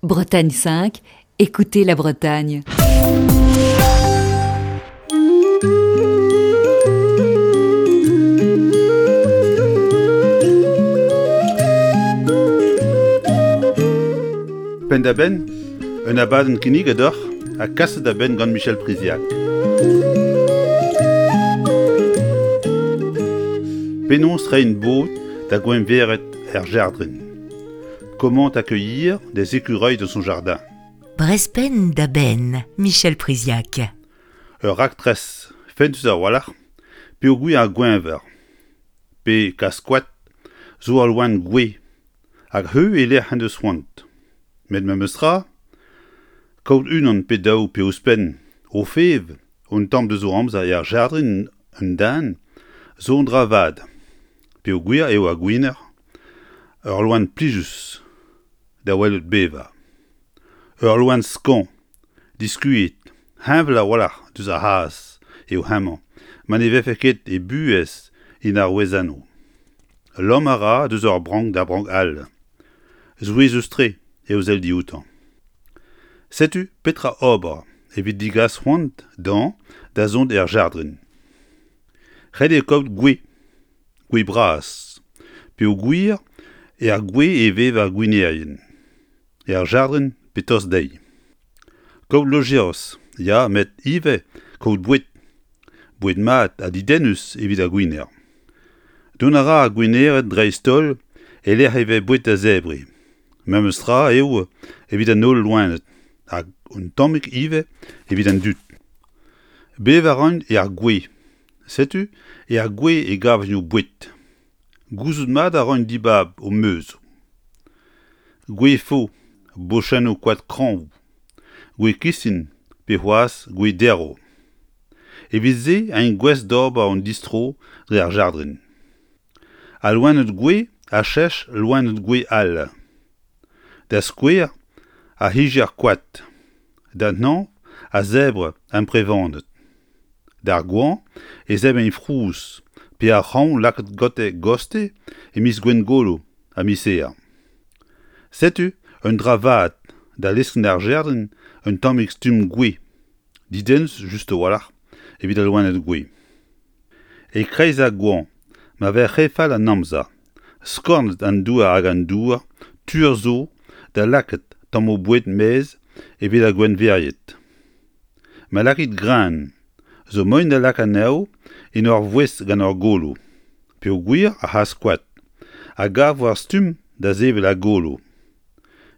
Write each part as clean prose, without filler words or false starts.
Bretagne 5, écoutez la Bretagne. Penn-da-benn, un abadenn kinniget deoc'h ha kaset da benn gant Michel Priziac. Penaos reiñ bod da gwiñvered er jardrin? Comment accueillir des écureuils dans son jardin? Brezpenn da benn, Michel Priziac. Ur raktres fentus a-walc'h peogwir ar gwiñver, pe kaskoad, zo ul loen gouez hag heu e-lec'h en deus c'hoant. Met memestra, kaout unan pe daou pe ouzhpenn o fev un tamm deus o amzer er jardrin un den zo un dra vat peogwir eo ar gwiner ur loen plijus da welout bevañ. Ur loen skañv, diskuizh, heñvel a-walc'h diouzh ar c'hazh eo hemañ ma ne vefe ket e buhez en arouezennoù. Lamm a ra deus ur brank d'ar brank all. Souezhus-tre eo sell dioutañ. Setu petra ober evit degas c'hoant dezhañ da zont er jardrin. Ret eo kaout gwez. Gwez bras, peogwir er gwez e vev ar gwinerien, er jardrin pe tost dezhi. Kaout lojerañs, ya, met ivez kaout boued, boued mat ha dedennus evit ar gwiner. Dont a ra ar gwinered dreist-holl e-lec'h e vez boued da zebriñ. Memes tra eo evit an holl loened hag un tammig ivez evit an dud. Bevañ a raint er gwez. Setu er gwez e gavin o boued. Gouzout mat a ran dibab o meuzoù. Gwez fo, bochennoù koad kraoñ, gwez kistin pe c'hoazh gwez derv. Evit se int gouest d'ober un distro dre ar jardrin. Al loened gouez a chech loened gouez all. Da skouer ar c'higer-koad. D'an hañv a zebr amprevaned. D'ar goañv e zebr frouz pe ar c'hraoñ lakaet gante gostez e miz Gwengolo ha miz Here. Setu un dra vat da leuskel ar jardrin un tammig stumm gouez, dedennus just a-walc'h evit al loened gouez. E-kreiz ar goañv ma vez re fall an amzer, skornet an douar hag an dour, tur zo da lakaat tammoù boued maez evit ar gwenveried. Ma lakit greun zo moaien da lakaat anezho en ur voest gant ur golo, peogwir ar c'hazh-koad a gav ar stumm da sevel ar golo.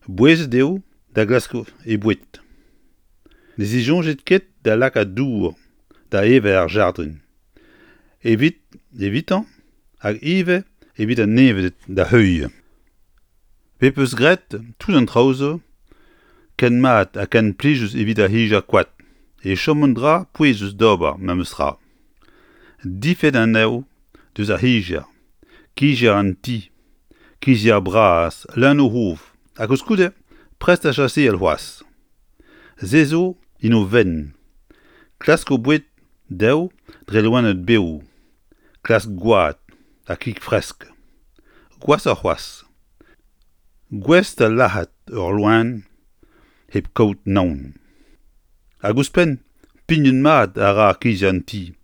Bouezet eo da glask e boued. Ne zisoñjit ket da lakaat dour da evañ er jardrin evit evitañ hag ivez evit an deñved da heuilh. P'ez peus graet tout an traoù-se ken mat ha ken plijus evit ar hijañ-koad e chom un dra pouezus d'ober memes tra. Difenn anezho deus ar c'higer, kiger an ti, kizhier bras leun o c'hof ha koulskoude prest da chaseal c'hoazh. Se zo en o fenn. Klask o boued dezho dre loened bev, klask gwad ha kig fresk. Gwashoc'h c'hoazh. Gouest da lazhat ur loen hep kaout naon. Hag ouzhpenn, pignet mat a ra kizhier an ti.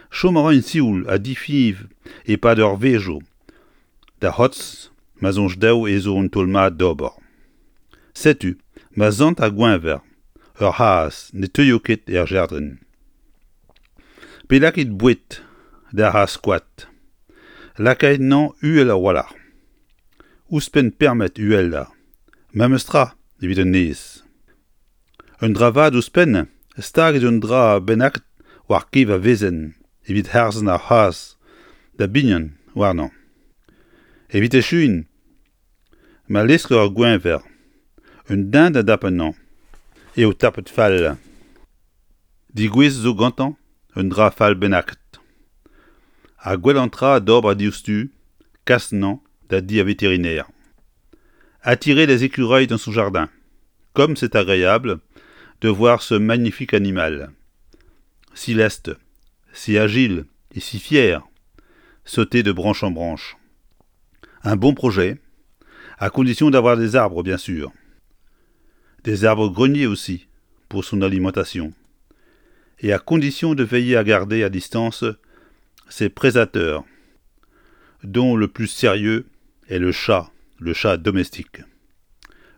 Chom a raint sioul ha difiñv e-pad eurvezhioù da c'hortoz ma soñj dezho ez eo un taol mat d'ober. Setu ma sant ar gwiñver ur c'hazh ne teuio ket er jardrin. Pe lakit boued d'ar c'hazh-koad. Lakait anezhañ uhel a-walc'h. Ouzhpenn permet uhelañ, memes tra evit an aez. Un dra vat ouzhpenn, stagit un dra bennaket war kev a wezenn evit harzañ ar c'hazh da bignan warnañ. Evit echuiñ, ma lesk ur gwiñver, un den da dap anezhañ, eo tapet fall. Degouezhet zo gantañ un dra fall bennaket. Ar gwellañ tra d'ober diouzhtu, kas anezhañ da di ar veterinaire. Attirer les écureuils dans son jardin. Comme c'est agréable de voir ce magnifique animal, si leste, si agile et si fier, sauter de branche en branche. Un bon projet, à condition d'avoir des arbres, bien sûr. Des arbres greniers aussi, pour son alimentation. Et à condition de veiller à garder à distance ses prédateurs, dont le plus sérieux est le chat, le chat domestique.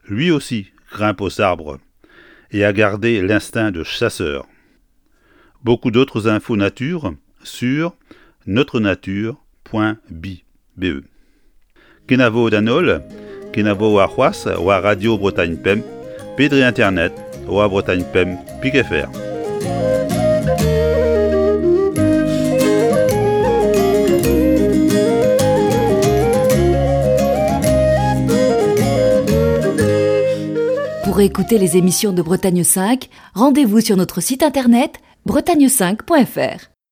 Lui aussi grimpe aux arbres et a gardé l'instinct de chasseur. Beaucoup d'autres infos nature sur notrenature.bi. Be. Kenavo d'an holl, kenavo warc'hoazh war Radio Bretagne Pemp pe dre internet war Bretagne Pemp pik fr. Pour écouter les émissions de Bretagne 5, rendez-vous sur notre site internet bretagne5.fr.